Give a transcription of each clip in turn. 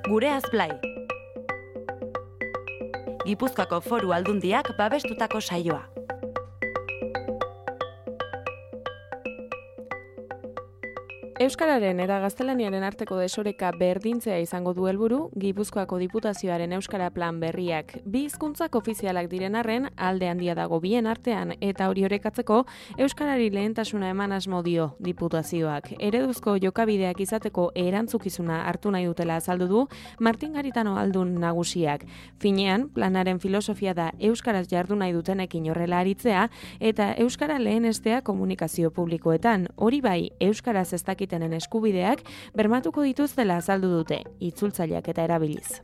Gureaz Blai. Gipuzkoako Foru Aldundiak babestutako saioa. Euskararen eta gaztelaniaren arteko desoreka berdintzea izango du helburu Gipuzkoako Diputazioaren Euskara Plan berriak. Bi hizkuntzak ofizialak diren arren, alde handia dago bien artean eta hori orekatzeko euskarari lehentasuna eman asmo dio Diputazioak. Ereduzko jokabideak izateko erantzukizuna hartu nahi dutela azaldu du Martin Garitano aldun nagusiak. Finean, planaren filosofia da euskaraz jardu nahi dutenekin horrela aritzea eta euskara lehenestea komunikazio publikoetan. Hori bai, euskaraz ez dakitenen eskubideak bermatuko dituztela azaldu dute, itzultzaileak eta erabiliz.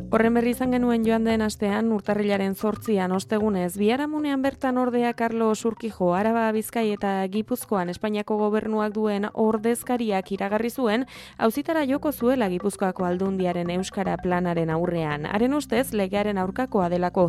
Horren berri izan genuen joan den astean, urtarrilaren 8an ostegunez, biharamunean bertan ordea Carlos Urquijo, Araba, Bizkai eta Gipuzkoan Espainiako gobernuak duen ordezkariak iragarri zuen, auzitara joko zuela Gipuzkoako Aldundiaren Euskara Planaren aurrean. Haren ustez, legearen aurkakoa delako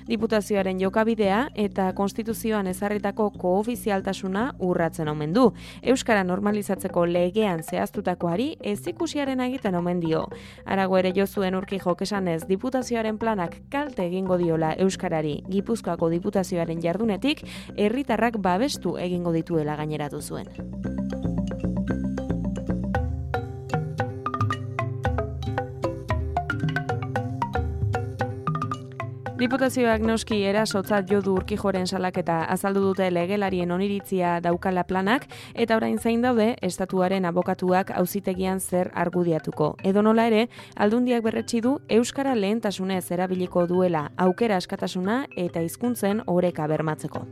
Diputazioaren jokabidea eta konstituzioan ezarritako koofizialtasuna urratzen omen du. Euskara normalizatzeko legean zehaztutakoari ezikusiaren egiten omen dio. Arago ere jo zuen Urquijok esan Diputazioaren planak kalte egingo diola euskarari. Gipuzkoako Diputazioaren jardunetik herritarrak babestu egingo dituela gaineratu zuen. Diputazioak noski erasotzat jo du Urquijoren salaketa, azaldu dute legelarien oniritzia daukala planak eta orain zain daude estatuaren abokatuak auzitegian zer argudiatuko. Edonola ere, Aldundiak berretsi du euskara lehentasunez erabiliko duela aukera askatasuna eta hizkuntzen oreka bermatzeko.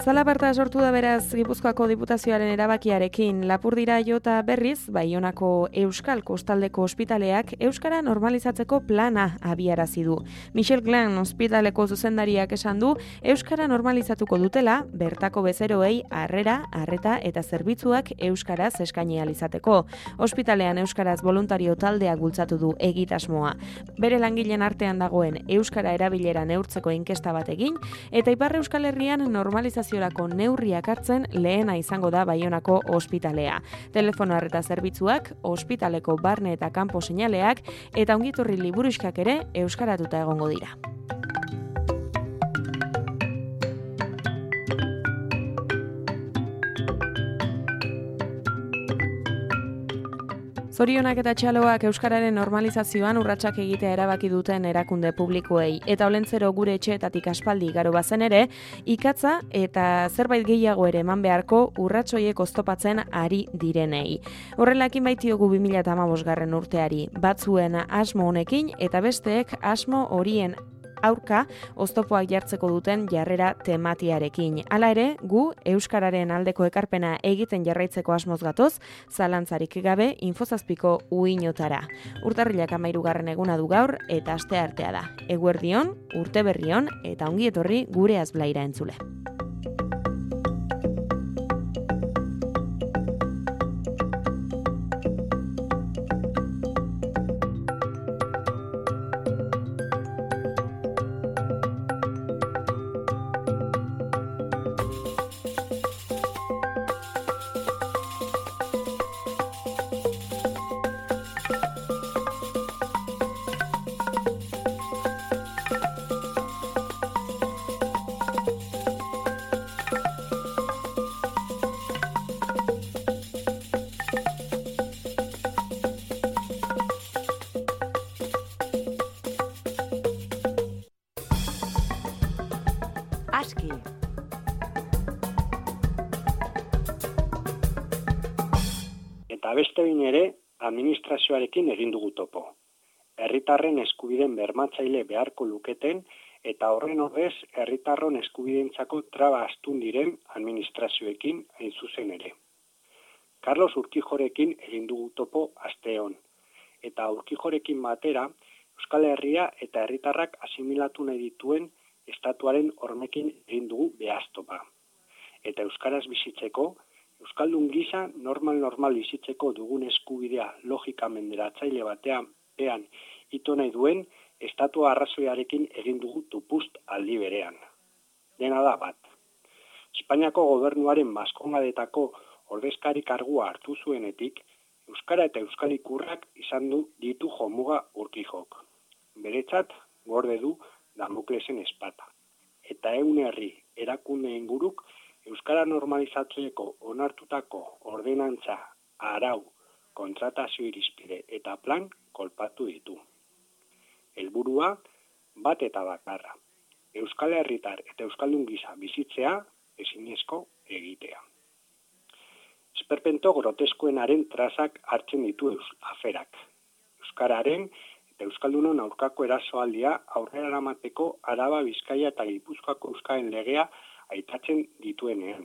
Zalaparta sortu da beraz Gipuzkoako Diputazioaren erabakiarekin. Lapurdira jota berriz, Baionako Euskal Kostaldeko ospitaleak euskara normalizatzeko plana abiarazi du. Michel Glan ospitaleko zuzendariak esan du euskara normalizatuko dutela bertako bezeroei arreta eta zerbitzuak euskaraz eskaini ahal izateko. Ospitalean euskaraz voluntario taldeak bultzatu du egitasmoa. Bere langileen artean dagoen euskara erabilera neurtzeko inkesta bat egin eta Ipar Euskal Herrian normalizazio neurriak hartzen lehena izango da Baionako ospitalea. Telefono arreta zerbitzuak, ospitaleko barne eta kanpo seinaleak eta ongitorri liburuxkak ere euskaratuta egongo dira. Zorionak eta txaloak euskararen normalizazioan urratsak egitea erabaki duten erakunde publikoei. Eta olentzero gure etxeetatik aspaldi igaro bazen ere, ikatza eta zerbait gehiago ere eman beharko urratsoiek oztopatzen ari direnei. Horrelakin baitiogu 2015 urteari, batzuen asmo honekin eta besteek asmo horien aurka oztopoak jartzeko duten jarrera tematiarekin. Hala ere, gu euskararen aldeko ekarpena egiten jarraitzeko asmoz gatoz, zalantzarik gabe Infozazpiko uinotara. Urtarrilak 13. eguna du gaur eta asteartea da. Eguerdion, urte berrion eta ongi etorri Gureaz Blaira entzule. Aski. Eta beste behin ere, administrazioarekin egin dugu topo. Herritarren eskubideen bermatzaile beharko luketen eta horren ordez herritarron eskubideentzako traba astun diren administrazioekin hain zuzen ere. Carlos Urquijorekin egin dugu topo asteon, eta Urquijorekin batera Euskal Herria eta herritarrak asimilatu nahi dituen estatuaren hormekin egin dugu behaztopa. Eta euskaraz bizitzeko Euskaldun gisa normal bizitzeko dugun eskubidea logika menderatzaile batean ito nahi duen estatua arrazoiarekin egin dugu tupust aldi berean. Dena da bat. Espainiako gobernuaren maskongadetako ordezkari kargua hartu zuenetik, euskara eta euskal ikurrak izan ditu jomuga Urquijok. Beretzat gorde du Damoklesen espata. Eta herri erakunde inguruk euskara normalizatzeko onartutako ordenantza, arau, kontratazio irizpide eta plan kolpatu ditu. Helburua bat eta bakarra. Euskal herritar eta euskaldun gisa bizitzea ezinezko egitea. Esperpento groteskoenaren trazak hartzen ditu aferak. Euskararen eta euskaldunon aurkako erasoaldia aurrera eramateko Araba, Bizkaia eta Gipuzkoako euskaren legea aitatzen dituenean.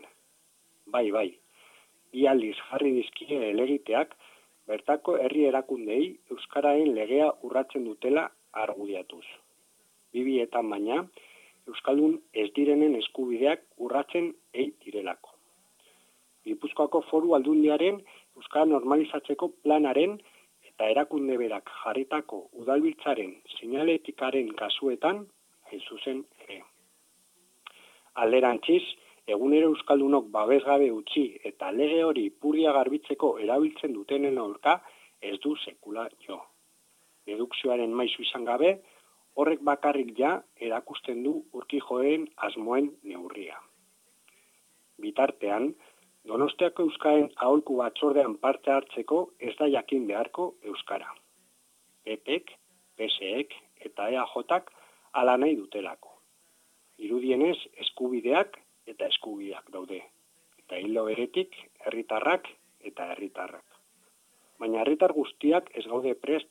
Bai, bi aldiz jarri dizkie helegiteak bertako herri erakundei euskararen legea urratzen dutela argudiatuz. Bibietan baina, euskaldun ez direnen eskubideak urratzen direlako. Gipuzkoako Foru Aldundiaren euskara normalizatzeko planaren eta erakunde berak jarritako udalbiltzaren seinaletikaren kasuetan hain zuzen ere. Alderantziz, egunero euskaldunok babesgabe utzi eta lege hori ipurdia garbitzeko erabiltzen dutenen aurka ez du sekula jo. Dedukzioaren maisu izan gabe, horrek bakarrik ja erakusten du Urquijoen asmoen neurria. Bitartean, Donostiako euskaren aholku batzordean parte hartzeko ez da jakin beharko euskara. PPek, PSek eta EAJak hala nahi dutelako. Irudienez eskubideak eta eskubideak daude. Eta hildo beretik herritarrak eta herritarrak. Baina herritar guztiak ez gaude prest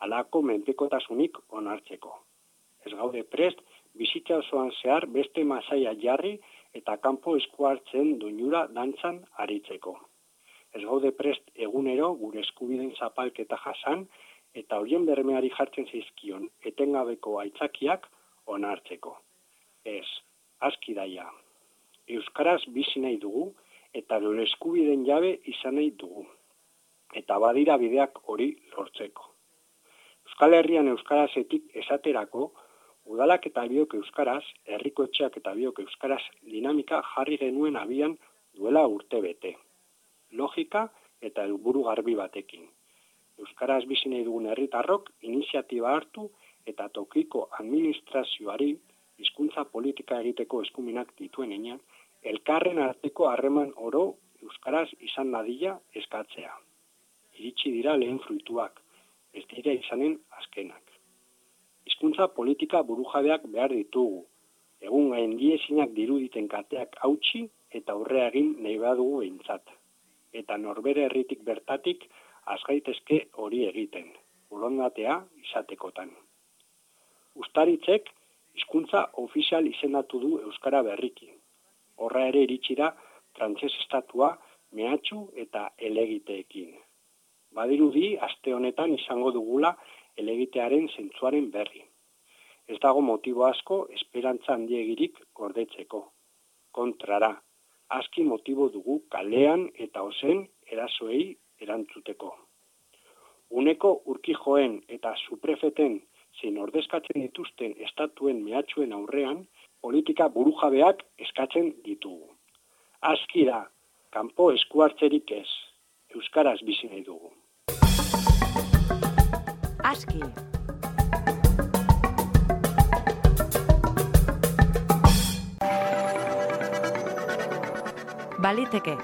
halako menpekotasunik onartzeko. Ez gaude prest bizitza osoan zehar beste masaia jarri eta kanpo esku hartzen doinura dantzan aritzeko. Ez gaude prest egunero gure eskubideen zapalketa jasan eta horien bermeari jartzen zaizkion etengabeko aitzakiak onartzeko. Ez, aski daia. Euskaraz bizi nahi dugu eta gure eskubideen jabe izan nahi dugu. Eta badira bideak hori lortzeko. Euskal Herrian euskarazetik esaterako, udalak eta biok euskaraz, herriko etxeak eta biok euskaraz dinamika jarri genuen abian duela urte bete. Logika eta helburu garbi batekin. Euskaraz bizi nahi dugun herritarrok iniziatiba hartu eta tokiko administrazioari hizkuntza politika egiteko eskumenak dituen heinean, elkarren arteko harreman oro euskaraz izan dadila eskatzea. Iritsi dira lehen fruituak, ez dira izanen azkenak. Hizkuntza politika burujabeak behar ditugu. Egun gaindiezinak diruditen kateak hautsi eta aurrea egin nahi badugu behintzat. Eta norbere herritik bertatik azgaitezke hori egiten, borondatea izatekotan. Uztaritzek hizkuntza ofizial izendatu du euskara berriki. Horra ere iritsi da frantses estatua mehatxu eta helegiteekin. Badirudi aste honetan izango dugula helegitearen zentzuaren berri. Ez dago motibo asko esperantza handiegirik gordetzeko. Kontrara, aski motibo dugu kalean eta ozen erasoei erantzuteko. Uneko Urquijoen eta suprefeten zein ordezkatzen dituzten estatuen mehatxuen aurrean, politika burujabeak eskatzen ditugu. Aski da, kanpo eskuartzerik ez, euskaraz bizi nahi dugu. Aski. Baliteke.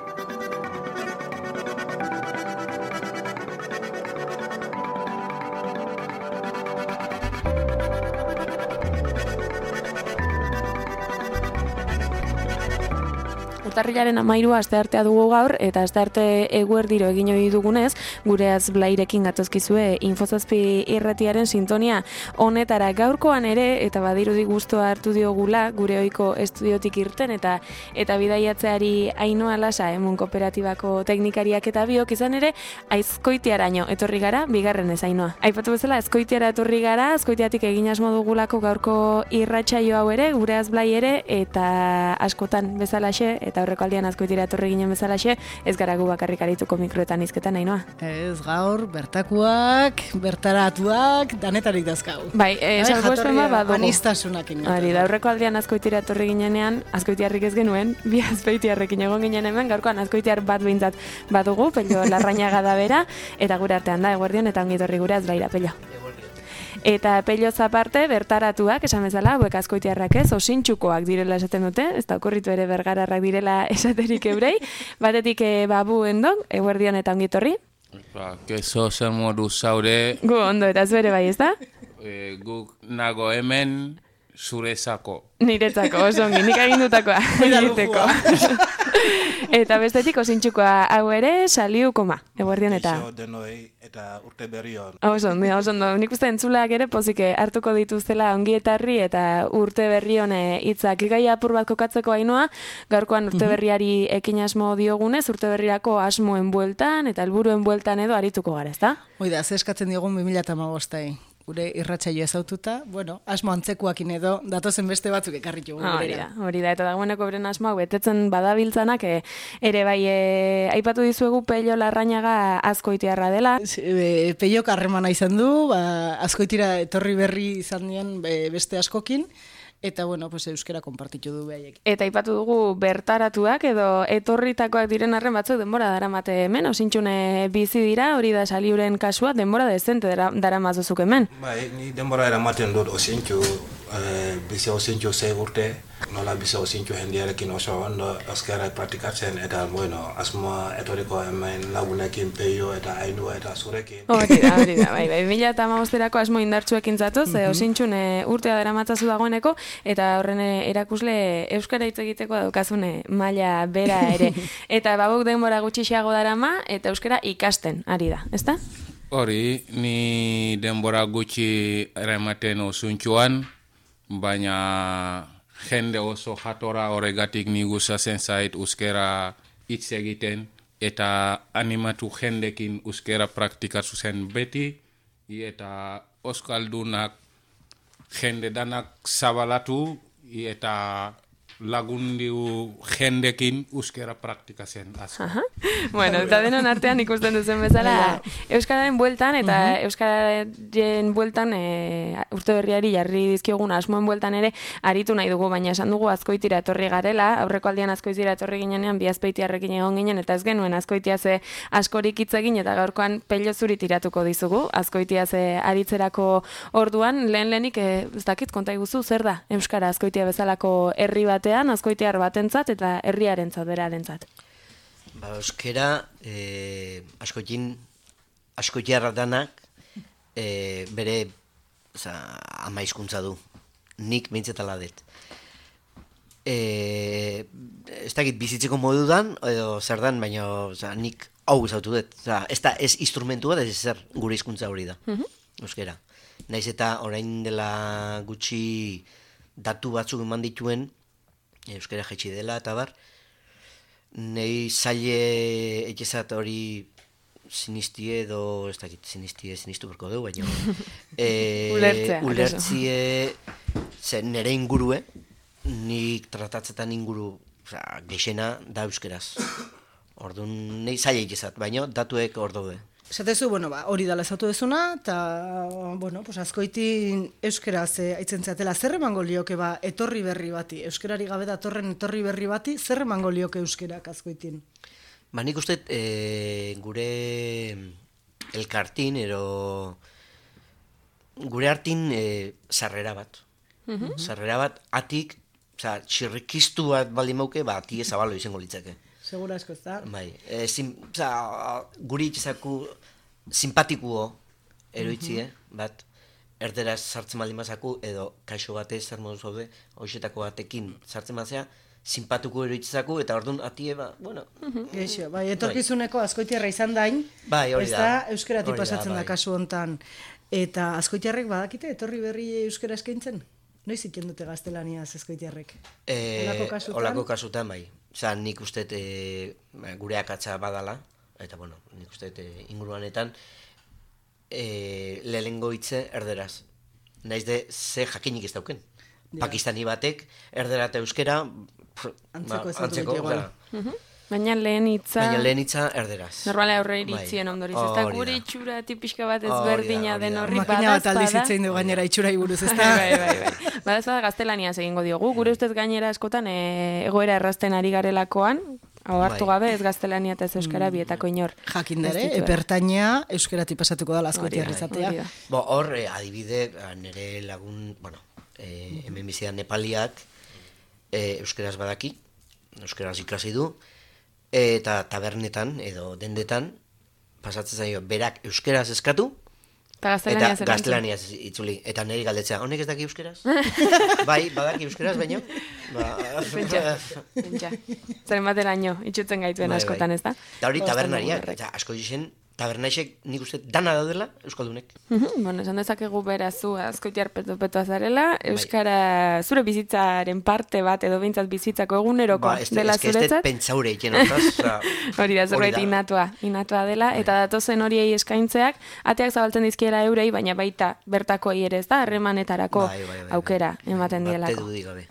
Urtarrilaren 13 asteartea dugu gaur, eta astearte eguerdiro egin ohi dugunez, gureaz Blairekin gatozkizue Infozazpi irratiaren sintonia honetara gaurkoan ere, eta badirudi gustoa hartu diogula gure ohiko estudiotik irten, eta bidaiatzeari Ainhoa Lasa, Emun Kooperatibako teknikariak eta biok izan ere, Azkoitiaraino etorri gara, bigarren ez Ainhoa. Aipatu bezala, Azkoitiara etorri gara, Azkoitiatik egin asmo dugulako gaurko irratsaio hau ere, gureaz Blai ere, eta askotan bezalaxe, eta aurreko aldian Azkoitira etorri ginen bezalaxe, ez gara gu bakarrik arituko mikroetan hizketan, Ainoa. Ez gaur, bertakuak, bertaratuak, danetarik dazkau. Bai, salbuespen bat badugu. Anistasunak ingat. Hori, da aurreko aldian Azkoitira etorri ginenean, azkoitiarrik ez genuen, bi azpeitiarrekin egon ginen hemen, gaurkoan azkoitiar bat behintzat badugu, Pello Larrañaga da bera, eta gure artean da, eguerdion, eta ongitorri gure azlaira, Pello. Eta Pelloz aparte, bertaratuak, esan bezala, hauek azkoitiarrak ez, osintxukoak direla esaten dute, ez da okurritu ere bergararrak direla esaterik eurei, batetik Babu Endon, eguerdion eta ongitorri. Kezo zer modu zaude. Gu ondo eta zuere bai, ez da? Guk nago hemen zurezako. Niretzako, oso ongi, nik agindutakoa egiteko. Eta bestetik osintxukoa hau ere, Saliu Koma, eguerdion eta... Eixo denoi eta urte berri hon. Oso ondo, nik uste entzulak ere pozik hartuko dituztela ongi etarri eta urte berri hon hitzak gai apur bat kokatzeko Ainoa, gaurkoan urte berriari ekin asmo diogunez, urte berrirako asmoen bueltan eta helburuen bueltan edo arituko gara, ezta? Oida, ze eskatzen diogun 2015 gure irratsaioa ezaututa, asmo antzekoakin edo datozen beste batzuk ekarritu gurera. Hori da, eta dagoeneko beren asmoak betetzen badabiltzanak, ere bai, aipatu dizuegu Pello Larrañaga azkoitiarra dela. Pellok harremana izan du, azkoitira etorri berri izan dien beste askokin, eta euskera konpartitu du behaiekin. Eta aipatu dugu bertaratuak edo etorritakoak diren arren batzuk denbora daramate hemen, osintxune bizi dira, hori da Saliuren kasua, denbora dezente daramazuzuk hemen. Bai, ni denbora eramaten dut osintxu, bizi osintxu 6 urte, nola bizi osintxu jendiarekin oso ondo euskara praktikatzen, eta asmoa etorriko hemen lagunekin Pello eta Ainhoa eta zurekin. Hori da, bai, 2015erako asmo indartsuekin zatoz, osintxune urtea daramatzazu dagoeneko, eta horren erakusle euskara hitz egiteko daukazune maila bera ere. Eta babuk denbora gutxiago darama eta euskara ikasten ari da, ezta? Hori, ni denbora gutxi eramaten osintxuan, baina jende oso jatora horregatik ni gustatzen zait euskara hitz egiten eta animatu jendekin euskara praktikatu zen beti, eta euskaldunak jende danak zabalatu eta lagundiu jendekin euskara praktikatzen asko. Bueno, eta denon artean ikusten duzen bezala euskararen bueltan eta euskararen bueltan urte berriari jarri dizkiogun asmoen bueltan ere aritu nahi dugu, baina esan dugu Azkoitira etorri garela, aurreko aldian Azkoitira etorri ginenean bi azpeitiarrekin egon ginen eta ez genuen Azkoitiaz askorik hitz egin eta gaurkoan Pello zuri tiratuko dizugu Azkoitiaz aritzerako orduan, lehenik ez dakit konta iguzu zer da euskara Azkoitia bezalako herri batean, azkoitiar batentzat eta herriarentzat berarentzat. Euskara askoitiarra danak bere ama hizkuntza du. Nik behintzatala dut. Ez dakit bizitzeko modudan edo zer dan, baina nik hau izautu dut. Ez instrumentu bat, ez zer gure hizkuntza hori da. Euskara. Naiz eta orain dela gutxi datu batzuk eman dituen euskara jaitsi dela eta bar, nahi zaile etxezat hori sinistie edo, ez dakit, sinistu berko dugu, baina ulertzie nire ingurue, nik tratatzetan inguru geixena da euskeraz. Orduan, nahi zaile etxezat, baina datuek hor daude. Esatezu, hori dala ezautu dezuna, eta, azkoitin euskaraz aitzen zatela, zer emango lioke etorri berri bati, euskarari gabe datorren etorri berri bati, zer emango lioke euskarak azkoitin? Nik uste gure elkartin, gure hartin sarrera bat. Sarrera bat, atik, txirrikiztu bat baldin mauke, ati ezabalo izango litzake. Segura asko ez da? Bai, guri itxezaku simpatikuo eroitzie, bat, erderaz sartzen baldin mazaku, edo kaixo batez zer modu zaude, hoxetako batekin sartzen mazea, simpatiko eroitzezaku, eta orduan atie, Geixo, etorkizuneko azkoitiarra izan dain, ez da, euskeratik pasatzen da kasu hontan. Eta azkoitiarrek badakite, etorri berri euskara eskaintzen? Noiz iten dute gaztelaniaz azkoitiarrek? Olako kasutan, bai. Nik uste gure akatsa badala, eta nik uste inguruanetan lehengo hitze erderaz. Naiz de ze jakinik ez dauken. Pakistani batek erdera eta euskera Antzeko igual. Baina lehen hitza erderaz. Normala aurre iritzien ondoriz. Ez da gure itxura tipixka bat ezberdina den horri badazpada. Makina bat aldizitzein du gainera itxura buruz, ez da? Bai. Badazpada gaztelaniaz egingo diogu. Gure ustez gainera askotan egoera errazten ari garelakoan, hau hartu gabe ez gaztelania eta ez euskara bietako inor. Jakin dere, epertaina euskerati pasatuko da askoitiar izatea. Hor, adibide, nire lagun, hemen bizidan Nepaliak euskeraz badaki, euskeraz ikasi du, eta tabernetan edo dendetan pasatzen zaio berak euskeraz eskatu eta gaztelaniaz itzuli. Eta niri galdetzea, honek ez daki euskeraz? Bai, badaki euskeraz, baino. Pentsa. Zaren bateraino, itxutzen gaituen askotan, ez da? Eta hori tabernariak, eta asko izen, tabernaixek nik uste dana daudela euskaldunek. Bueno, esan dezakegu berazu askoitiar peto-petoa zarela, euskara zure bizitzaren parte bat edo behintzat bizitzako eguneroko dela zuretzat. Ez pentsaure iken hortaz. Hori da, zerbait inatua dela, eta datozen horiei eskaintzeak, ateak zabaltzen dizkiela eurei, baina baita bertakoei ere ez da, harremanetarako aukera ematen dielako. Bate dudik gabe.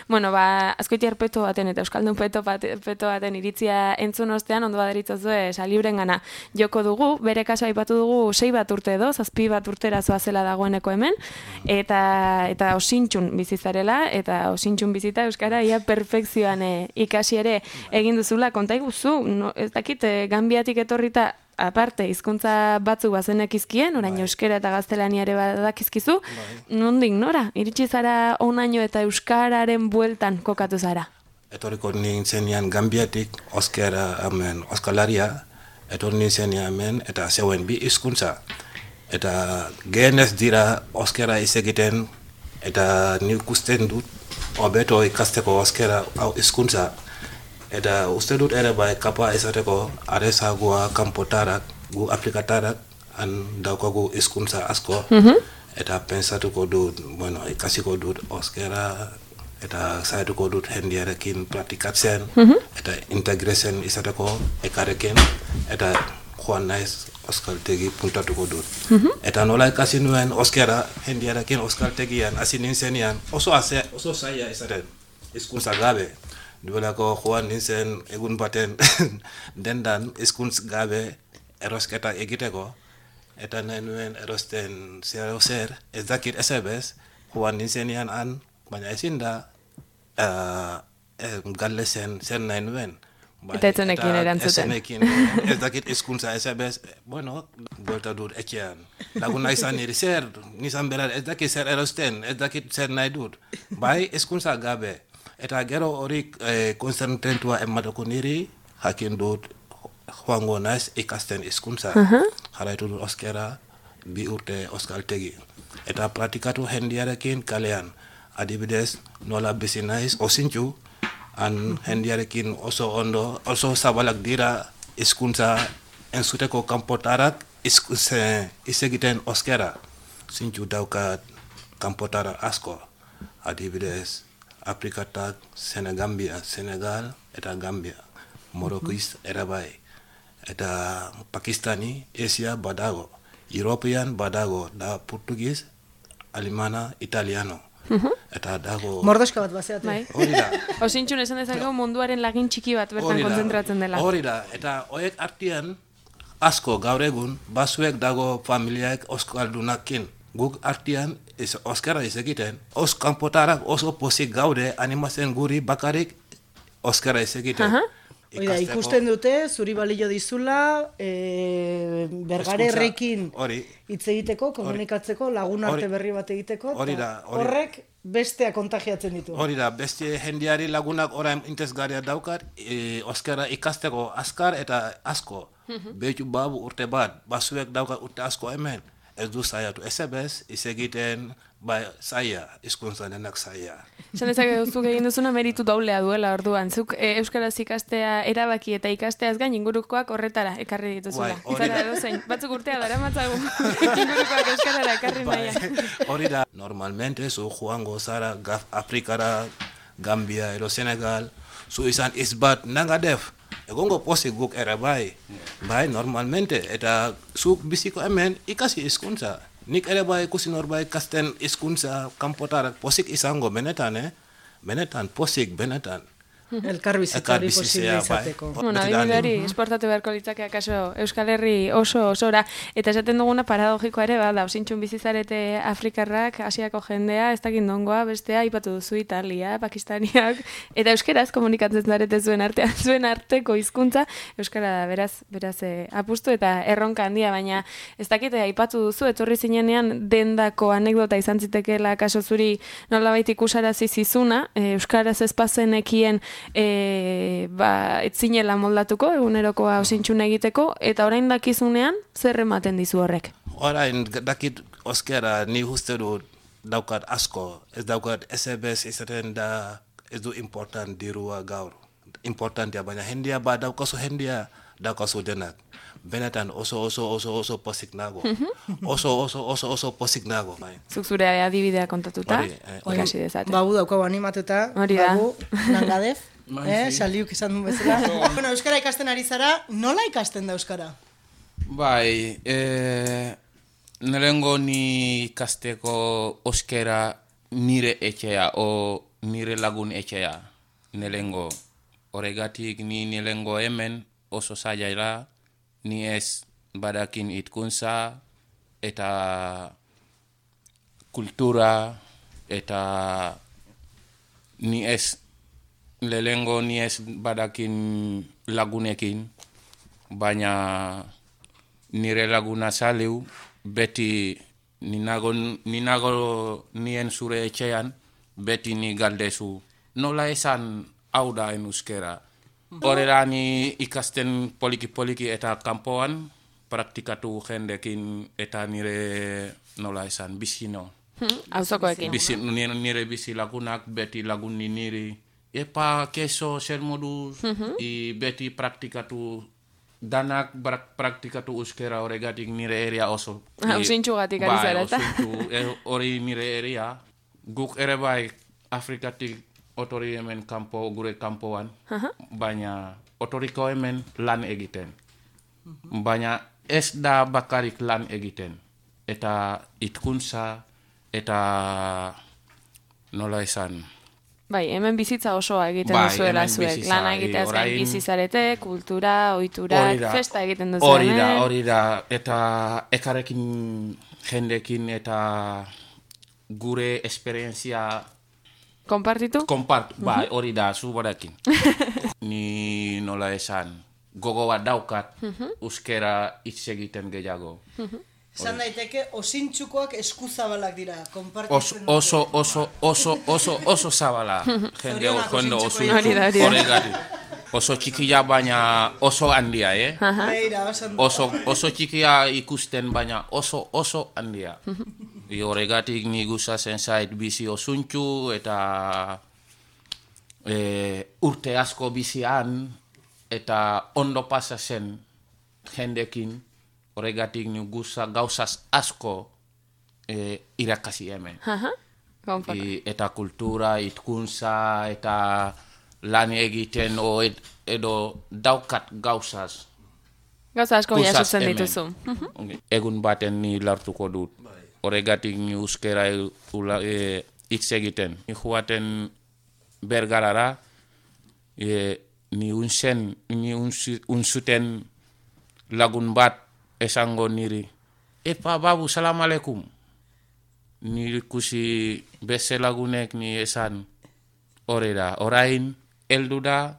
Bueno, askoitiar peto baten eta euskaldun peto baten iritzia entzun ostean, ondo baderitzazue salibren gana joko dugu, bere kaso aipatu dugu 6 bat urte edo, 7 bat urtera zoazela dagoeneko hemen, eta osintxun bizizarela, eta osintxun bizita euskara ia perfekzioan ikasi ere egin duzula, konta iguzu, ez dakit, Gambiatik etorrita aparte, hizkuntza batzuk bazenekizkien, orain euskera eta gaztelania ere badakizkizu, nondik nora? Iritsi zara onaino eta euskararen bueltan kokatu zara? Etorriko nintzenean Gambiatik, oskalaria, etorri nintzenean hemen, eta zeuen bi hizkuntza. Eta gehenez dira euskara izegiten, eta nik usten dut, hobeto ikasteko euskara hizkuntza. Eta uste dut ere bai kapa izateko arezagoa kanpotarak, gu aplikatarak, daukagu hizkuntza asko. Eta pensatuko dut, ikasiko dut euskara, eta zaituko dut jendearekin praktikatzen, eta integratzen izateko ekarekin, eta joan naiz euskaltegi puntatuko dut. Eta nola ikasi nuen euskara jendearekin euskaltegian, hasi nintzenean, oso zaila izaten, hizkuntza gabe. Duelako joan nintzen egun baten dendan hizkuntz gabe erosketa egiteko, eta nahi nuen erosten zer, ez dakit ezebez, joan nintzenean baina ezin da galdezen zer nahi nuen. Eta etzenekin erantzuten. Ez dakit hizkuntza ezebez, buelta dut etxean. Laguna izan niri zer, nizan berar, ez dakit zer erosten, ez dakit zer nahi dut. Bai, hizkuntza gabe. Eta gero hori konzentrentua emateko niri, jakin dut joango naiz ikasten hizkuntza. Jarraitu dut euskara 2 urte euskaltegi. Eta praktikatu jendearekin kalean. Adibidez, nola bizi naiz osintxu, jendearekin oso ondo, oso zabalak dira hizkuntza entzuteko kanpotarak izegiten euskara. Zintxu daukat kanpotara asko. Adibidez, Afrikatak, Senegal eta Gambia, Moroccois ere bai, eta Pakistani, Asia badago, European badago, da Portugis, Alemana, Italiano, eta dago... Mordoska bat bazeatu. Hori da. Osintxun esan dezakegu munduaren lagin txiki bat bertan kontzentratzen dela. Hori da, eta horiek artean asko gaur egun, basuek dago familiaek euskaldunakin. Guk artean euskara izegiten, kanpotarak oso pozik gaude animatzen guri bakarik euskara izegiten. Oida, ikusten dute, zuri balio dizula, bergarerrekin hitz egiteko, komunikatzeko, lagun arte berri bat egiteko, horrek bestea kontagiatzen ditu. Hori da, beste jendeari lagunak orain interesgarria daukat, euskara ikasteko azkar eta asko. Behitu babu urte bat, basuek daukat urte asko hemen. Ez du zaiatu, ezebez, izegiten, zaila, hizkuntza denak zaila. Esan ezak zuk egin duzuna meritu doblea duela orduan. Zuk euskaraz ikastea erabaki eta ikasteaz gain ingurukoak horretara ekarri dituzula. Batzuk urtea dara matzagu ingurukoak euskarara ekarri nahian. Hori da, normalmente zu joango zara Afrikara, Gambia, edo Senegal, zu izan izbat nangadef. Egongo pozik guk ere bai, normalmente, eta zuk biziko hemen ikasi hizkuntza. Nik ere bai ikusi norbait ikasten hizkuntza kanpotarak posik izango benetan, benetan, pozik, benetan. Elkarbizitzari posible izateko. Bueno, adibidari esportatu beharko litzake akaso Euskal Herri osora. Eta esaten duguna paradogikoa ere, da, osintxun bizizarete Afrikarrak, Asiako jendea, ez dakit nongoa, bestea, ipatu duzu Italia, Pakistaniak, eta euskeraz komunikatzen zarete zuen artean, zuen arteko hizkuntza euskara da, beraz apustu eta erronka handia, baina ez dakite, aipatu duzu, etorri zinenean dendako anekdota izan zitekeela akaso zuri nolabait ikusarazi zizuna, euskaraz ezpazenekien etzinela moldatuko, egunerokoa osintxun egiteko, eta orain dakizunean, zer ematen dizu horrek? Orain dakit oskera ni uste dut daukat asko, ez daukat SBS izaten da ez du important dirua gaur. Importantia, baina hendia daukazu hendia, daukazu denak. Benetan oso posik nago. Oso posik nago. Zuk zure adibidea kontatuta, ikasi dezate. Bagu daukagu animatuta, bagu langadez, saliuk izan duen bezala. Bueno, euskara ikasten ari zara, nola ikasten da euskara? Bai, nelengo ni ikasteko euskara nire etxea, o nire lagun etxea. Nelengo, horregatik ni nelengo hemen oso zailaila, ni ez badakin hitkuntza eta kultura eta ni ez lehengo ni ez badakin lagunekin, baina nire laguna saliu beti ninago nien zure etxean beti ni galdezu nola esan hau da en euskera. Horrela ni ikasten poliki eta kanpoan praktikatu jendekin eta nire nola esan bizino. Auzokoekin. Nire bizi lagunak beti lagunni niri. Epa, keso, zer moduz, beti praktikatu danak praktikatu euskera horregatik nire eria oso. Ausintxugatik ari zara, eta? Hori nire eria. Guk ere bai Afrikatik otori hemen gure kanpoan, baina otoriko hemen lan egiten. Baina ez da bakarik lan egiten. Eta hitkuntza, eta nola esan. Bai, hemen bizitza osoa egiten duzuela zuek. Lana egiteaz gain bizizarete, kultura, ohitura, festa egiten duzu hemen. Hori da, eta ekarekin jendekin eta gure esperientzia Konpartitu? Bai, hori da, zu barakin. Ni nola esan, gogo bat daukat, euskera hitz egiten gehiago. Esan daiteke, osintxukoak eskuzabalak dira, konpartitzen. Oso zabala. Jende osintxu horregatik. Oso txikia baina oso handia, Oso txikia ikusten baina oso handia. Horregatik ni gustatzen zait bizi osintxu eta urte asko bizian eta ondo pasatzen jendekin. Horregatik ni gauzaz asko irakasi hemen. Eta kultura, hitkuntza eta lan egiten edo daukat gauzaz. Gauza asko jasotzen dituzu. Egun baten ni lartuko dut. Horregatik ni euskera hitz egiten. Ni joaten Bergarara, ni unzuten lagun bat esango niri. Epa babu, salam aleikum. Ni ikusi beste lagunek ni esan horrela. Orain, heldu da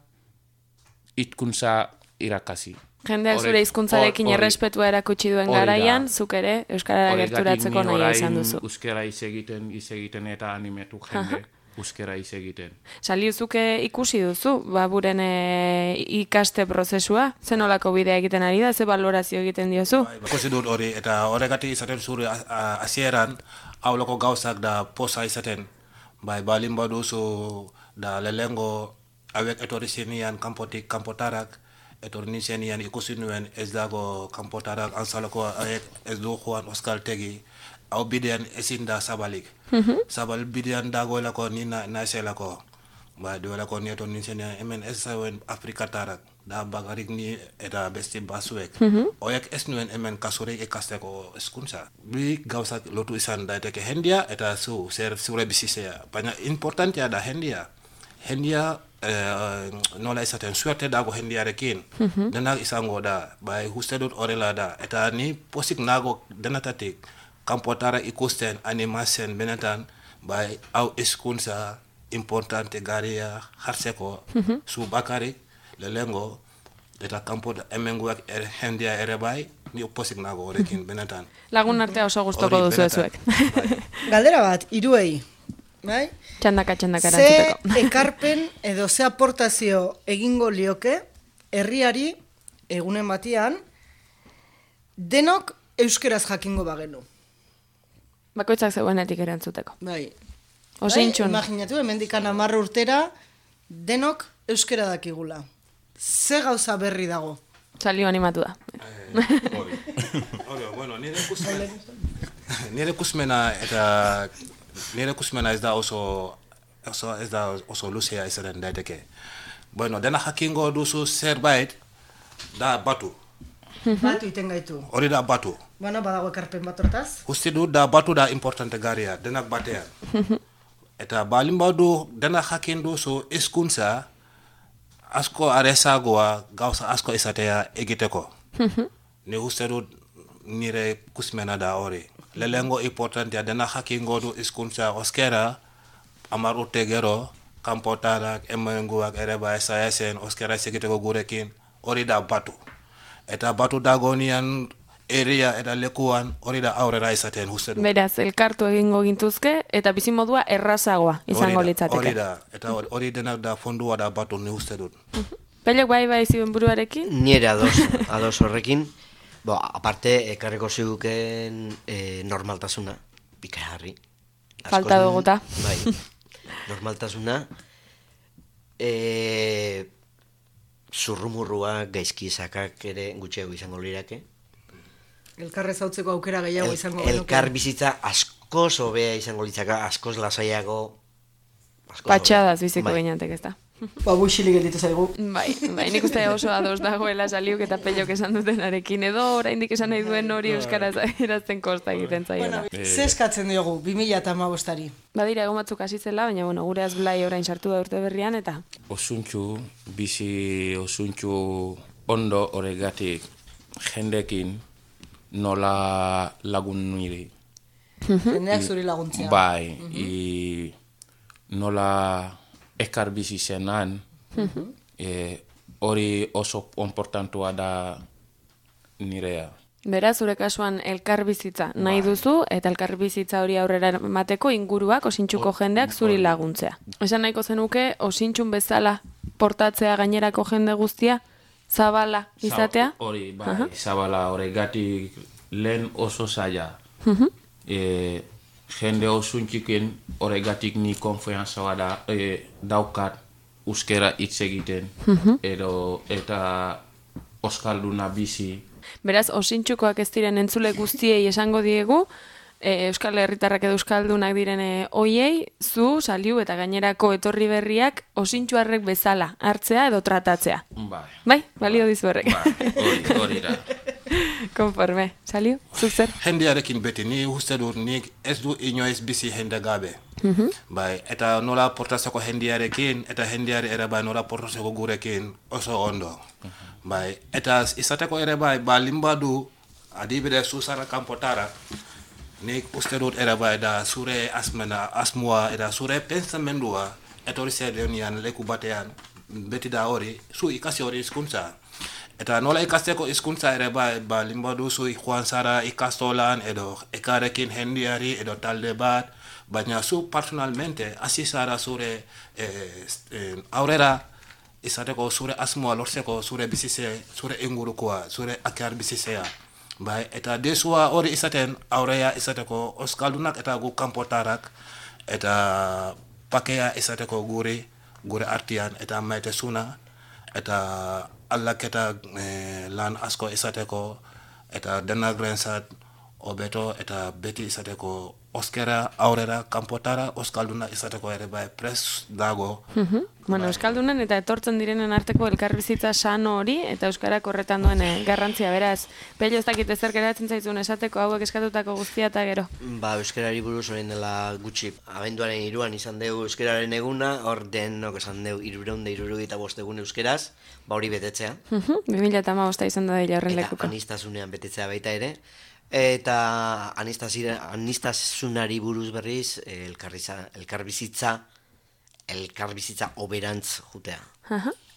hitkuntza irakasi. Jendeak zure hizkuntzarekin errespetua erakutsi duen garaian, zuk ere euskarara gerturatzeko nahi izan duzu. Euskara hitz egiten eta animetu jende euskara hitz egiten. Saliuzuke ikusi duzu, buren ikaste prozesua, ze nolako bidea egiten ari da, ze balorazio egiten diozu? Ikusi dut hori, eta horregatik izaten zure hasieran auloko gauzak da posa izaten. Balin baduzu da lehengo hauek etorri zenian kanpotik kanpotarak, etorri nizenian ikusi nuen ez dago kanpotarak antzaloko ez du joan euskaltegi. Hau bidean ezin da zabalik. Zabal bidean dagoelako ni naizelako. Ba duelako nieto nintzenia hemen ez zauen Afrikatarak, da bagarik ni eta beste basuek. Oiek ez nuen hemen kasurik ikasteko hezkuntza. Bi gauzak lotu izan daiteke jendia eta zure bizizea. Baina importantea da jendia. Jendia nola izaten suerte dago jendiarekin. Denak izango da, bai uste dut horrela da. Eta ni posik nago denatatik kanpotara ikusten animazen benetan, bai hau hezkuntza importante garia hartzeko zu bakarrik lehengo eta kanpo hemengoak jendia ere bai ni posik nago horrekin benetan. Lagun artea oso gustoko duzu zuek. Galdera bat, hiruei, bai? Txandaka erantzuteko. Ze ekarpen edo ze aportazio egingo lioke herriari egunen batian denok euskeraz jakingo bagenu. Bakoitzak zeuenetik erantzuteko. Bai. Osintxun. Imaginatu, hemendikan 10 urtera denok euskera dakigula. Ze gauza berri dago? Salio animatu da. Bueno, nire kusmena ez da oso luzea izaten daiteke. Bueno, dena jakingo duzu zerbait da batu. Batu iten gaitu. Hori da batu. Bueno, badago ekarpen bat hortaz. Uste du da batu da importante garia, denak batean. Eta balin badu denak jakin duzu hizkuntza asko arezagoa gauza asko izatea egiteko. Ni uste dut nire kusmena da hori. Lehengo importantea denak jakingo du hizkuntza oskera 10 urte gero kanpotarak hemengoak ere bai sayasen oskera egiteko gurekin hori da batu. Eta batu dagonian area eta lekuan hori da aurrera izaten uste du. Beraz, elkartu egingo gintuzke eta bizimodua errazagoa izango litzateke. Hori da, eta hori denak da fondua da batu ni uste dut. Pelek bai ziben buruarekin? Nire ados horrekin, aparte ekarriko ziguken normaltasuna, bikaharri. Falta duguta. Bai, normaltasuna, zurrumurrua, gaizkizakak ere gutxeago izango lirake. Elkarrez hautzeko aukera gehiago izango genuke. Elkar bizitza askoz hobea izango litzaka, askoz lasaiago. Patxadaz biziko gineantek ez da. Buxilik gelditu zaigu. Bai, nik uste oso ados dagoela Saliuk eta Pellok esan dutenarekin, edo oraindik esan nahi duen hori euskaraz irazten kosta egiten zaiola. Ze eskatzen diogu 2015ari? Badira egon batzuk hasi zela, baina gure Blai orain sartu da urte berrian eta Osuntxu, bizi osuntxu ondo horregatik jendekin nola lagun niri. Jendeak zuri laguntzea. Bai, nola ekar bizi zenan, hori oso importantua da nirea. Beraz, zure kasuan elkarbizitza nahi duzu, eta elkarbizitza hori aurrera emateko inguruak osintxuko jendeak zuri laguntzea. Esan nahiko zenuke, osintxun bezala portatzea gainerako jende guztia, zabala izatea? Hori, bai, zabala horregatik lehen oso zaila. Jende osuntxiken horregatik ni konfiantza daukat euskera hitz egiten, eta oskalduna bizi. Beraz, osintxukoak ez diren entzule guztiei esango diegu, Euskal Herritarrak edo Euskaldunak diren hoiei, zu, Saliu eta gainerako etorri berriak osintxuarrek bezala hartzea edo tratatzea. Bai, balio dizu horrek. Hori da. Konforme. Saliu, zuk zer? Jendearekin beti, ni uste dut nik ez du inoiz bizi jende gabe. Bai, eta nola portatzeko jendearekin, eta jendeare ere bai nola portatzeko gurekin oso ondo. Bai, eta izateko ere bai, balin badu, adibidez zuzara kanpotara, nik uste dut ere bai da zure asmoa eta zure pensamendua etorri zedenian leku batean, beti da hori, zu ikasi hori hizkuntza. Eta nola ikasteko hizkuntza ere bai, balin badu zu joan zara ikastolan edo ekarekin jendeari edo talde bat, baina zu personalmente hasi zara zure aurrera izateko zure asmoa lortzeko zure bizitze, zure ingurukoa, zure akar bizitzea. Bai, eta desua hori izaten aurrea izateko oskaldunak eta gu kanpotarak eta pakea izateko gure artian eta maitesuna eta aldaketa lan asko izateko eta denak rentzat hobeto eta beti izateko oskera aurrera kanpotara oskalduna izateko ere bai prest dago. Bueno, euskaldunen eta etortzen direnen arteko elkarbizitza sano hori eta euskarak horretan duen garrantzia, beraz. Pello, ez dakit ezer geratzen zaizun esateko hauek eskatutako guztia eta gero. Euskarari buruz orain dela gutxi, abenduaren 3 izan dugu euskararen eguna, hor denok esan dugu 365 egun euskeraz, hori betetzea. 2015 izan da dela horren lekuko. Eta anistasunean betetzea baita ere. Eta anistasunari buruz berriz elkarbizitza oberantz jutea.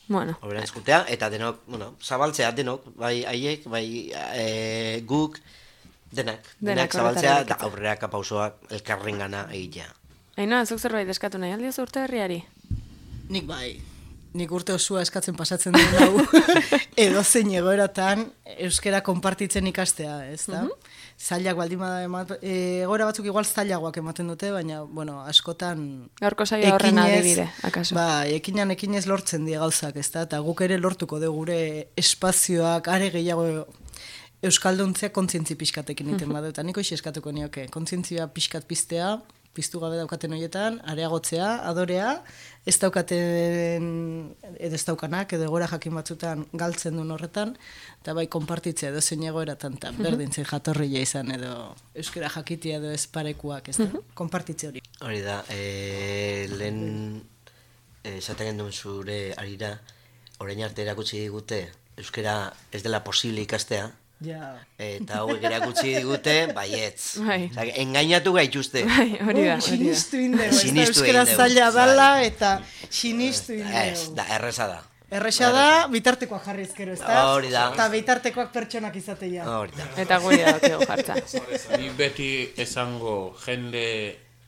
Bueno. Oberantz jutea, eta denok, zabaltzea denok, bai haiek, bai guk, denak zabaltzea, eta aurreraka pausoak elkarren gana egitea. Ainoa, zuk zerbait eskatu nahi aldioz urte herriari? Nik bai. Nik urte osua eskatzen pasatzen duen hau, edozein egoeratan euskera konpartitzen ikastea, ez da? Zailak baldin bada egoera batzuk igual zailagoak ematen dute, baina, askotan... Gaurko saio horren adibide, akaso? Ekinez lortzen die gauzak, ez da? Eta guk ere lortuko dugu gure espazioak, are gehiago euskalduntzea kontzientzi pixkatekin iten badu, eta niko eskatuko nioke, kontzientzia pixkat piztea, piztu gabe daukaten horietan, areagotzea, adorea, ez daukaten, edo ez daukanak, edo egora jakin batzutan galtzen duen horretan, eta bai konpartitzea edo zein egoeratan, eta berdintzen jatorria izan, edo euskera jakitia edo ez parekuak, ez da, konpartitze hori. Hori da, lehen esaten genduen zure arira, orain arte erakutsi digute, euskera ez dela posible ikastea, eta hauek erakutsi digute, baietz. Engainatu gaituzte. Hori da. Sinistu indego. Euskera zaila dala eta sinistu indego. Ez, da, erreza da. Erresa da, bitartekoak jarri ezkero, ez da? Hori da. Eta bitartekoak pertsonak izatea. Hori da. Eta gure daukego jartza. Ni beti esango, jende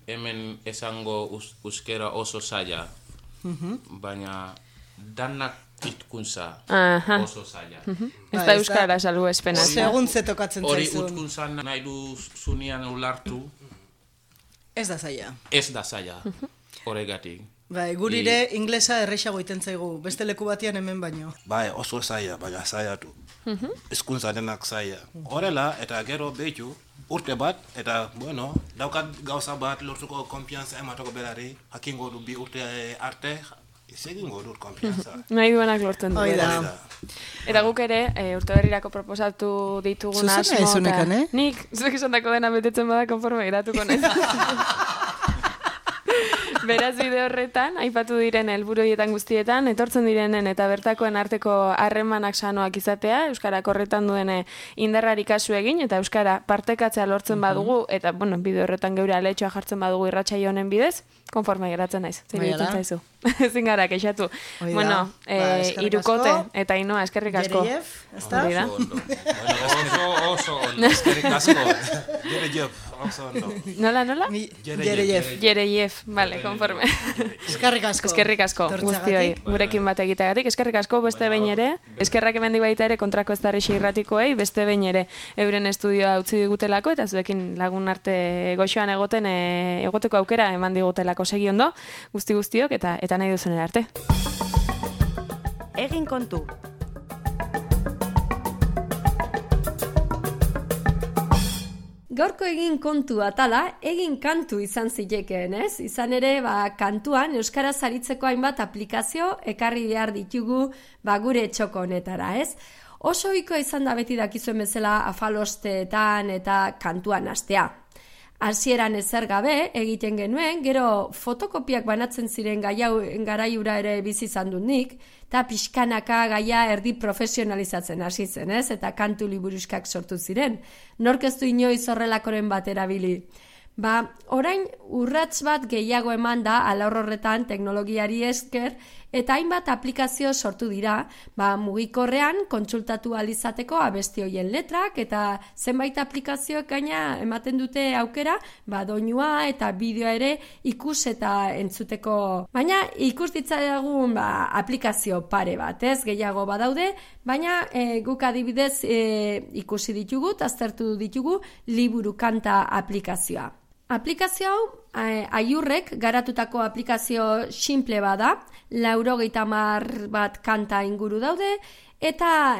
hemen esango euskera oso zaila, baina danak itkuntza oso zaila. Ez da euskara salgu espena. Segun ze tokatzen zaizun. Hori utkuntza nahi duzunean ulartu. Ez da zaila. Ez da zaila, horregatik. Gurire inglesa errexago iten zaigu, beste leku batian hemen baino. Bai, oso zaila, baina zailatu. Hizkuntza denak zaila. Horrela, eta gero behitu, urte bat, eta, daukat gauza bat lortuko konfiantza ematoko berari, hakingo du bi urte arte, egingo dut konfiantza. Nahi duenak lortzen du. Eta guk ere, urte berrirako proposatu ditugun asmo. Zuzena ezunekan, Nik, zuek esandako dena betetzen bada konforme geratuko naiz. Beraz bide horretan, aipatu diren helburu horietan guztietan, etortzen direnen eta bertakoen arteko harremanak sanoak izatea, euskarak horretan duen indarrari kasu egin, eta euskara partekatzea lortzen badugu, eta, bide horretan geure aletxoa jartzen badugu irratsaio honen bidez, konforme geratzen naiz. Zein ditzen zaizu. Ezin gara, keixatu. Irukote eta Ainoa, eskerrik asko. Jerejef, ez da? Oso ondo, eskerrik asko. Jerejef, oso ondo. Nola? Jerejef, vale, konforme. Eskerrik asko guztioi, gurekin bat egiteagatik. Eskerrik asko beste behin ere, eskerrak emendi baita ere kontrako ez darri irratikoei, beste behin ere euren estudioa utzi digutelako, eta zuekin lagun arte goxoan egoteko aukera eman digutelako segi ondo, guztiok, eta nahi duzen arte. Egin kontu. Gaurko egin kontu atala, egin kantu izan zitekeen, ez? Izan ere, kantuan euskaraz aritzeko hainbat aplikazio ekarri behar ditugu gure txoko honetara, ez? Oso ohikoa izan da beti dakizuen bezala afalosteetan eta kantuan hastea. Hasieran ezer gabe egiten genuen, gero fotokopiak banatzen ziren garaiura ere bizi izan dut nik, eta pixkanaka gaia erdi profesionalizatzen hasi zen, ez? Eta kantu liburuskak sortu ziren. Nork ez du inoiz horrelakoren bat erabili. Orain urrats bat gehiago eman da alor horretan teknologiari esker, eta hainbat aplikazio sortu dira, mugikorrean kontsultatu alizateko abesti hoien letrak, eta zenbait aplikazioak gaina ematen dute aukera, doinua eta bideoa ere ikus eta entzuteko. Baina ikus ditzagun aplikazio pare bat, ez gehiago badaude, baina guk adibidez ikusi ditugu, aztertu ditugu liburu kanta aplikazioa. Aplikazio hau, aiurrek garatutako aplikazio simple bada, 90 bat kanta inguru daude, eta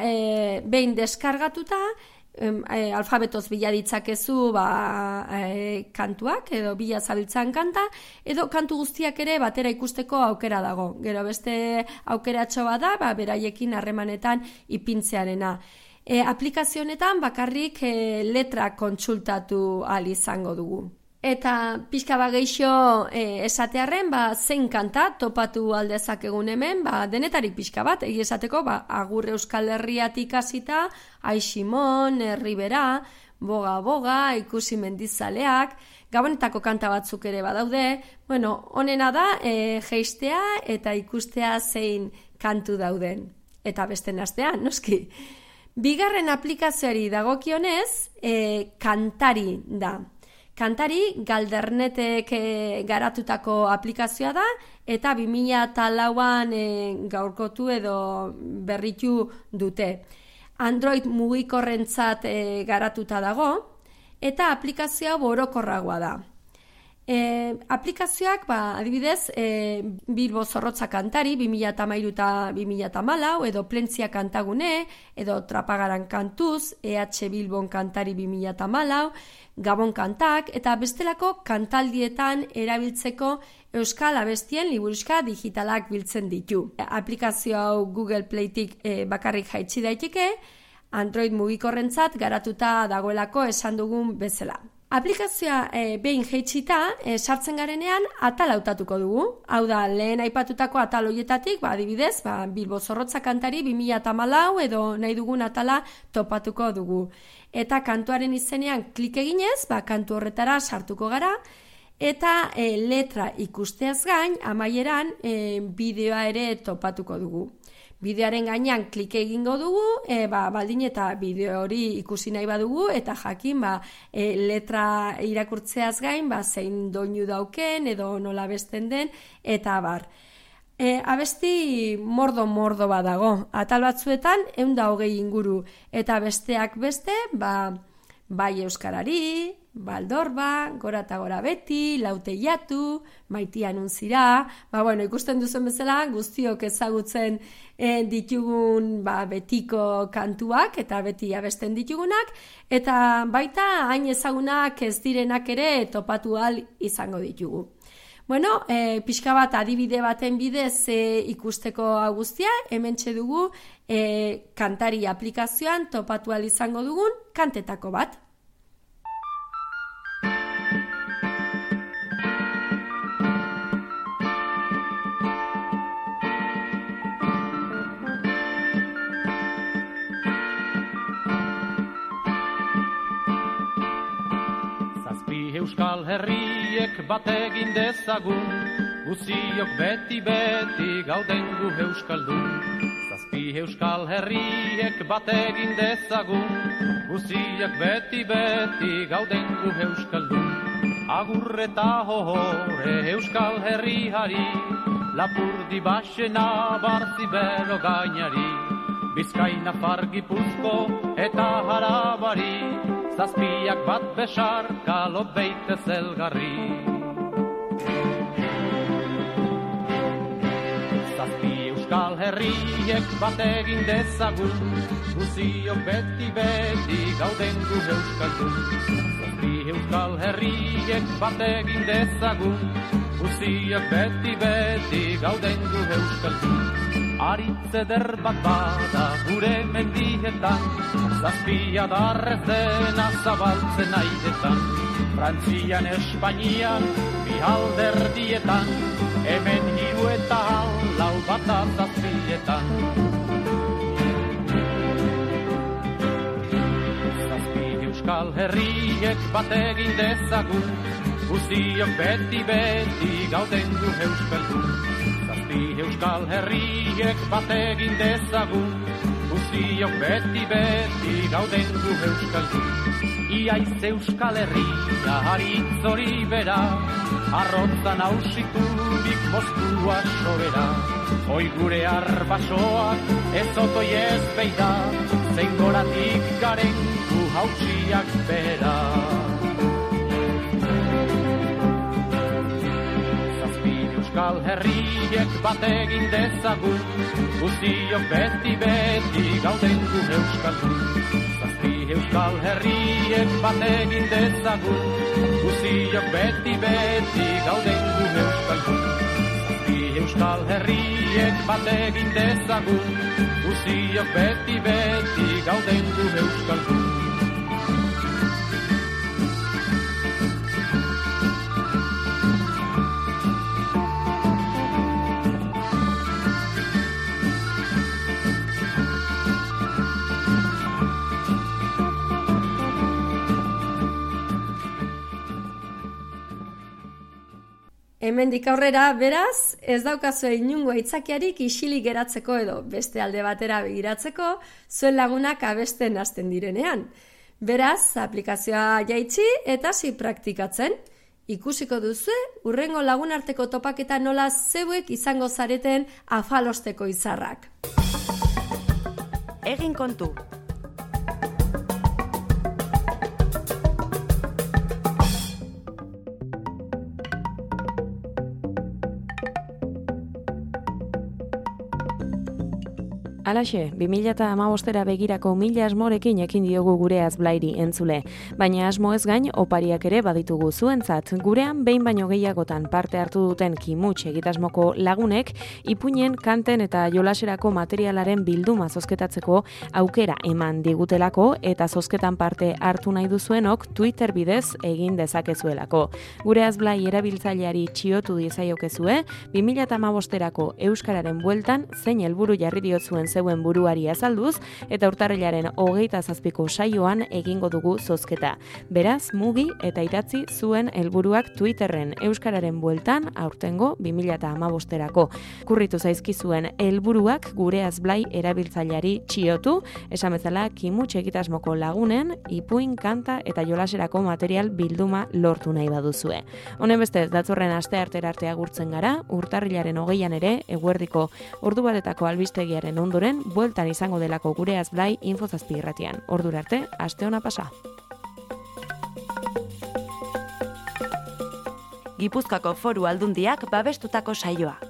behin deskargatuta, alfabetoz bila ditzakezu kantuak, edo bila zabiltzan kanta, edo kantu guztiak ere batera ikusteko aukera dago. Gero beste aukeratxo bada, beraiekin harremanetan ipintzearena. Aplikazio honetan bakarrik letra kontsultatu ahal izango dugu. Eta pixka geixo esatearren, zein kanta topatu aldezakegun hemen, denetarik pixka bat, egi esateko, Agur Euskal Herriatik hasita, Ai Simon, Herribera, Boga Boga, Ikusi Mendizaleak, Gabonetako kanta batzuk ere badaude. Honena da, jeistea eta ikustea zein kantu dauden. Eta beste astean, noski. Bigarren aplikazioari dagokionez, Kantari da. Kantari Galdernetek garatutako aplikazioa da, eta 2004an gaurkotu edo berritu dute. Android mugikorrentzat garatuta dago, eta aplikazioa orokorragoa da. Aplikazioak, adibidez, Bilbo Zorrotza Kantari 2013 eta 2014, edo Plentzia Kantagune, edo Trapagaran Kantuz, EH Bilbon Kantari 2014, Gabon Kantak, eta bestelako kantaldietan erabiltzeko euskal abestien liburuxka digitalak biltzen ditu. Aplikazio hau Google Playtik bakarrik jaitsi daiteke, Android mugikorrentzat garatuta dagoelako esan dugun bezala. Aplikazioa behin jaitsita, sartzen garenean atal hautatuko dugu. Hau da, lehen aipatutako atal hoietatik, adibidez, Bilbo Zorrotza Kantari 2014 edo nahi dugun atala topatuko dugu. Eta kantuaren izenean klik eginez, kantu horretara sartuko gara, eta letra ikusteaz gain, amaieran bideoa ere topatuko dugu. Bideoaren gainean klik egingo dugu, baldin eta bideo hori ikusi nahi badugu, eta jakin letra irakurtzeaz gain, zein doinu dauken, edo nola besten den, eta bar. Abesti mordo badago. Atal batzuetan 120 inguru, eta besteak beste, bai euskarari, Baldorba, Gora eta Gora Beti, Lauteiatu, Maitia Nuntzira, ikusten duzen bezala, guztiok ezagutzen ditugun betiko kantuak, eta beti abesten ditugunak, eta baita hain ezagunak ez direnak ere topatu ahal izango ditugu. Pixka bat adibide baten bidez ikusteko guztia, hementxe dugu Kantari aplikazioan topatu ahal izango dugun kantetako bat. Euskal Herriek bategin dezagun, guziok beti gauden gu euskaldun. Zazpi Euskal Herriek bategin dezagun, guziok beti gauden gu euskaldun. Agur eta hore Euskal Herriari, Lapurdi Baxena Barzibero gainari, Bizkaina Gipuzko eta Harabari, Zazpiak bat besarka lobeite zelgarri. Zazpi Euskal Herriek bategin dezagun, guziok beti gauden gu euskaldun. Zazpi Euskal Herriek bategin dezagun, guziok beti gauden gu euskaldun. Aritze derbat bada gure mendietan, zazpia darrez dena zabaltzen aidetan. Frantzian, Espainian, bi alderdietan, hemen 3 eta 4 bata zazpietan. Zazpi Euskal Herriek bategin dezagun, guziok beti gauden gu euskaldun. Zazpi Euskal Herriek bategin dezagun, guziok beti gauden gu euskaldun. Iaiz Euskal Herria haritz hori bera, arrotzan hausiturik Moskua sobera. Hoi gure arbasoak ez otoi ez beida, zein goratik garen gu hautsiak bera. Euskal Herriek bategin dezagun, guziok beti gauden gu euskaldun. Zazpi euskal herriek bat egin dezagun, guziok beti gauden gu euskaldu. Zazpi euskal herriek bat egin dezagun, guziok beti gauden gu euskaldu. Hemendik aurrera, beraz, ez daukazu inungo aitzakiarik isilik geratzeko edo beste alde batera begiratzeko, zuen lagunak abesten hasten direnean. Beraz, aplikazioa jaitsi eta hasi praktikatzen. Ikusiko duzu, hurrengo lagunarteko topaketa nola zeuek izango zareten afalosteko izarrak. Egin kontu. Alaxe, 2015era begirako mila asmorekin ekin diogu gure azblairi entzule. Baina asmo ez gain, opariak ere baditugu zuentzat. Gurean, behin baino gehiagotan parte hartu duten kimuts egitasmoko lagunek, ipuinen, kanten eta jolaserako materialaren bilduma zozketatzeko aukera eman digutelako eta zozketan parte hartu nahi duzuenok Twitter bidez egin dezakezuelako. Gure azblai erabiltzaileari txiotu diezaiokezue, 2015erako Euskararen bueltan zein helburu jarri diotzuen zeuen buruari azalduz, eta urtarrilaren 27ko saioan egingo dugu zozketa. Beraz, mugi eta idatzi zuen helburuak Twitterren Euskararen bueltan aurtengo 2015erako. Kurritu zaizkizuen helburuak gure azblai erabiltzaileari txiotu, esan bezala kimuts egitasmoko lagunen, ipuin, kanta eta jolaserako material bilduma lortu nahi baduzue. Honen bestez, datorren asteartera arte agurtzen gara, urtarrilaren 20an ere, eguerdiko ordu batetako albistegiaren ondoren, bueltan izango delako gure azblai Infozazpi irratian. Ordura arte, aste ona pasa. Gipuzkoako Foru Aldundiak babestutako saioa.